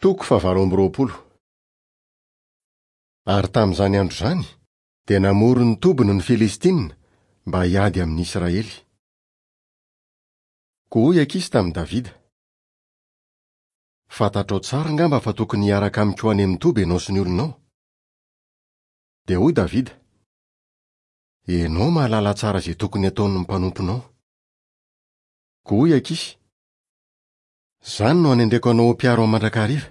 Toko fahavalo amby roapolo. Ary tamin'izany andro izany, dia namory ny tobiny ny Filistina mba hiady amin'ny Israely. Koa hoy Akisy tamin'i Davida, Fantatrao tsara angamba fa tokony hiaraka amiko ho any amin'ny toby ianao sy ny olonao. Dia hoy Davida, Ianao mahalala tsara izay tokony hataon'ny mpanomponao. Koa hoy Akisy, Izany no hanendreko anao ho mpiaro ahy mandrakariva.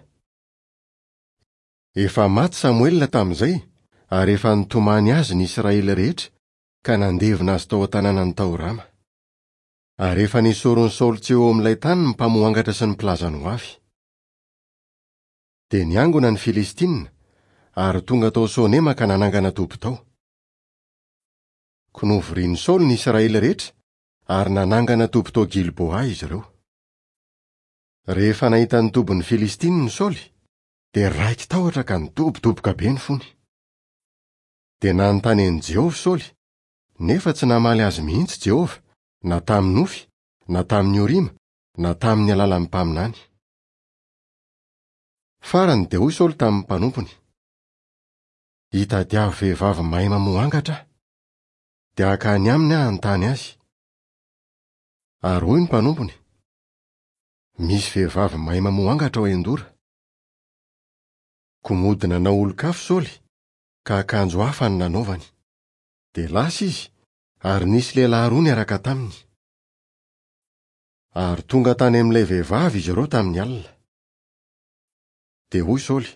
Efa maty Samoela tamin'izay, ary efa nitomany azy ny Israely rehetra, ka nandevina azy tao an-tanànany tao Rama. Ary efa nesorin'i Saoly tsy eo amin'ilay tany ny mpamohangatra sy ny mpilaza ny hoavy. Dia niangona ny Filistina, ary tonga tao Sonema ka nanangana toby tao. Koa novorian'i Saoly ny Israely rehetra, ary nanangana toby tao Gilboa izy ireo. Rehefa nahita ny tobin'ny Filistina i Saoly, dia raiki-tahotra ka nidobodoboka be ny fony. Dia nanontany an'i Jehovah Saoly, nefa tsy namaly azy mihitsy Jehovah, na tamin'ny nofy, na tamin'ny Orima, na tamin'ny alalan'ny mpaminany. Farany dia hoy Saoly tamin'ny mpanompony, Hitadiavo vehivavy mahay mamoha angatra aho. Dia hankany aminy aho hanontany azy. Ary hoy ny mpanompony, Misy vehivavy mahay mamoha angatra ao Endora. Koa mody nanao olon-kafa Saoly, ka akanjo hafa no nanaovany. Dia lasa izy, ary nisy lehilahy roa niaraka taminy. Ary tonga tany amin'ilay vehivavy izy ireo tamin'ny alina. Dia hoy Saoly,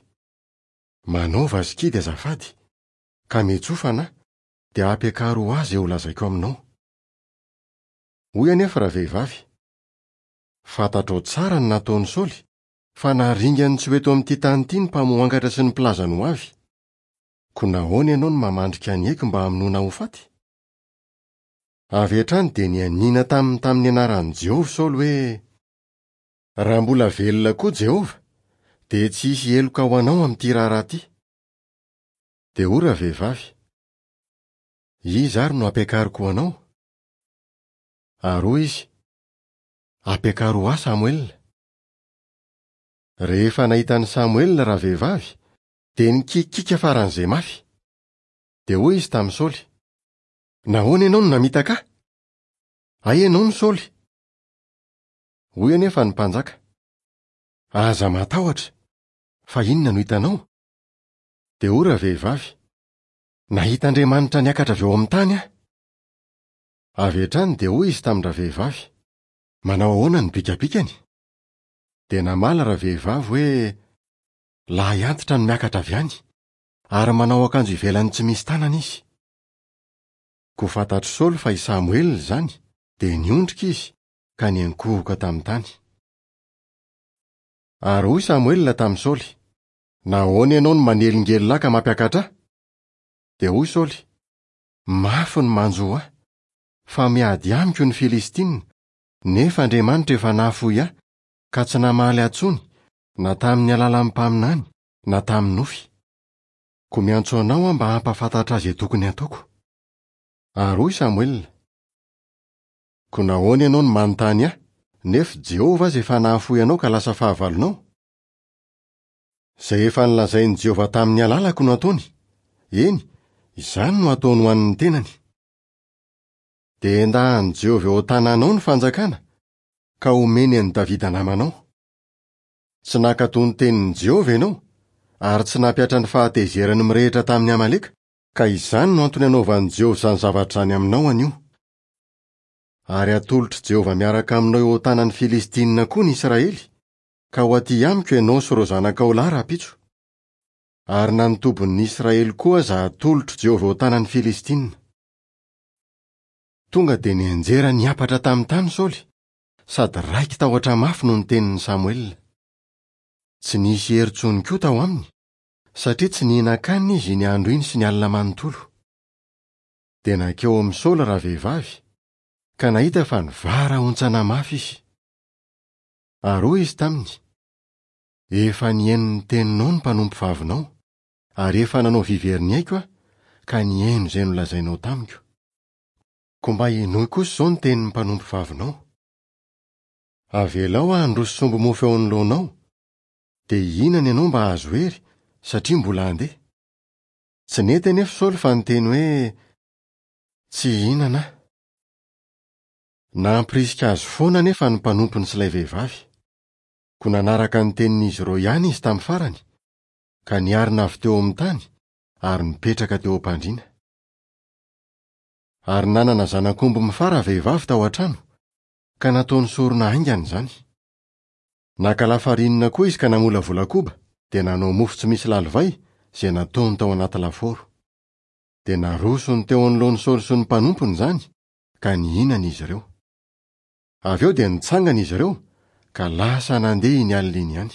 Manaova sikidy azafady, ka miantsofana aho, dia ampiakaro ho ahy izay holazaiko aminao. Hoy anefa ravehivavy, Fantatrao tsara ny nataon'i Saoly, fa naringany tsy ho eto amin'ity tany ity ny mpamohangatra sy ny mpilaza ny hoavy. Koa nahoana ianao no mamandrika ny aiko mba hamonoana ho faty? Avy hatrany dia nianiana taminy tamin'ny anaran'i Jehovah Saoly hoe, Raha mbola velona koa Jehovah, dia tsy hisy heloka ho anao amin'ity raharaha ity. Dia hoy ravehivavy, Iza ary no hampiakariko ho anao? Ary hoy izy, Ampiakaro ho ahy Samoela. Rehefa nahita an'i Samoela ravehivavy, dia nikiakiaka faran'izay mafy. Dia hoy izy tamin'i Saoly, Nahoana ianao no namitaka ahy? Hay ianao no Saoly! Hoy anefa ny mpanjaka, Aza matahotra, fa inona no hitanao? Dia hoy ravehivavy, Nahita Andriamanitra niakatra avy eo amin'ny tany aho. Avy hatrany dia hoy izy tamin-dravehivavy, Manao ahoana ny bikabikany? Dia namaly ravehivavy hoe, Lahy antitra no miakatra avy any, ary manao akanjo ivelany tsy misy tanana izy. Koa fantatr'i Saoly fa i Samoela izany, dia niondrika izy, ka niankohoka tamin'ny tany. Ary hoy Samoela tamin'i Saoly, Nahoana ianao no manelingelina ahy ka mampiakatra ahy? Dia hoy Saoly, Mafy ny manjo ahy, fa miady amiko ny Filistina, nefa Andriamanitra efa nahafoy ahy, ka tsy namaly ahy intsony, na tamin'ny alalan'ny mpaminany, na tamin'ny nofy. Koa miantso anao aho mba hampahafantatra ahy izay tokony hataoko. Ary hoy Samoela, Koa nahoana ianao no manontany ahy, nefa Jehovah aza efa nahafoy anao ka lasa fahavalonao? Izay efa nolazain'i Jehovah tamin'ny alalako no ataony, eny, izany no ataony ho an'ny tenany. Dia endahan'i Jehovah eo an-tananao ny fanjakana, ka homeny an'i Davida namanao. Tsy nankatò ny tenin'i Jehovah ianao, ary tsy nampihatra ny fahatezerany mirehitra tamin'i Amaleka, ka izany no antony anaovan'i Jehovah izany zavatra izany aminao anio. Ary hatolotr'i Jehovah miaraka aminao eo an-tanan'ny Filistinina koa ny Israely, ka ho aty amiko ianao sy ireo zanakao lahy rahampitso. Ary na ny tobin'ny Israely koa aza hatolotr'i Jehovah eo an-tanan'ny Filistinina. Tonga dia nianjera niampatra tamin'ny tany Saoly, sady raiki-tahotra mafy noho ny tenin'i Samoela. Tsy nisy hery intsony koa tao aminy, satria tsy nihinan-kanina izy iny andro iny sy ny alina manontolo. Dia nankeo amin'i Saoly ravehivavy, ka nahita fa nivarahontsana mafy izy. Ary hoy izy taminy, Efa nihaino ny teninao ny mpanompovavinao, ary efa nanao vivery ny aiko aho, ka nihaino izay nolazainao tamiko. Koa mba henoy kosa izao ny tenin'ny mpanompovavinao. Avelao aho handroso sombi-mofo eo anoloanao. Dia hihinana ianao mba hahazo hery, satria mbola handeha. Tsy nety anefa Saoly fa niteny hoe, Tsy hihinana aho. Nampirisika azy foana anefa ny mpanompony sy ilay vehivavy. Koa nanaraka ny tenin'izy ireo ihany izy tamin'ny farany, ka niarina avy teo amin'ny tany ary nipetraka teo am-pandriana. Ary nanana zanak'omby mifara vehivavy tao an-trano, ka nataony sorona haingana izany. Naka lafarinina koa izy ka namolavola koba, dia nanao mofo tsy misy lalivay, izay nataony tao anaty lafaoro. Dia narosony teo anoloan'i Saoly sy ny mpanompony izany, ka nihinana izy ireo. Avy eo dia nitsangana izy ireo, ka lasa nandeha iny alina iny ihany.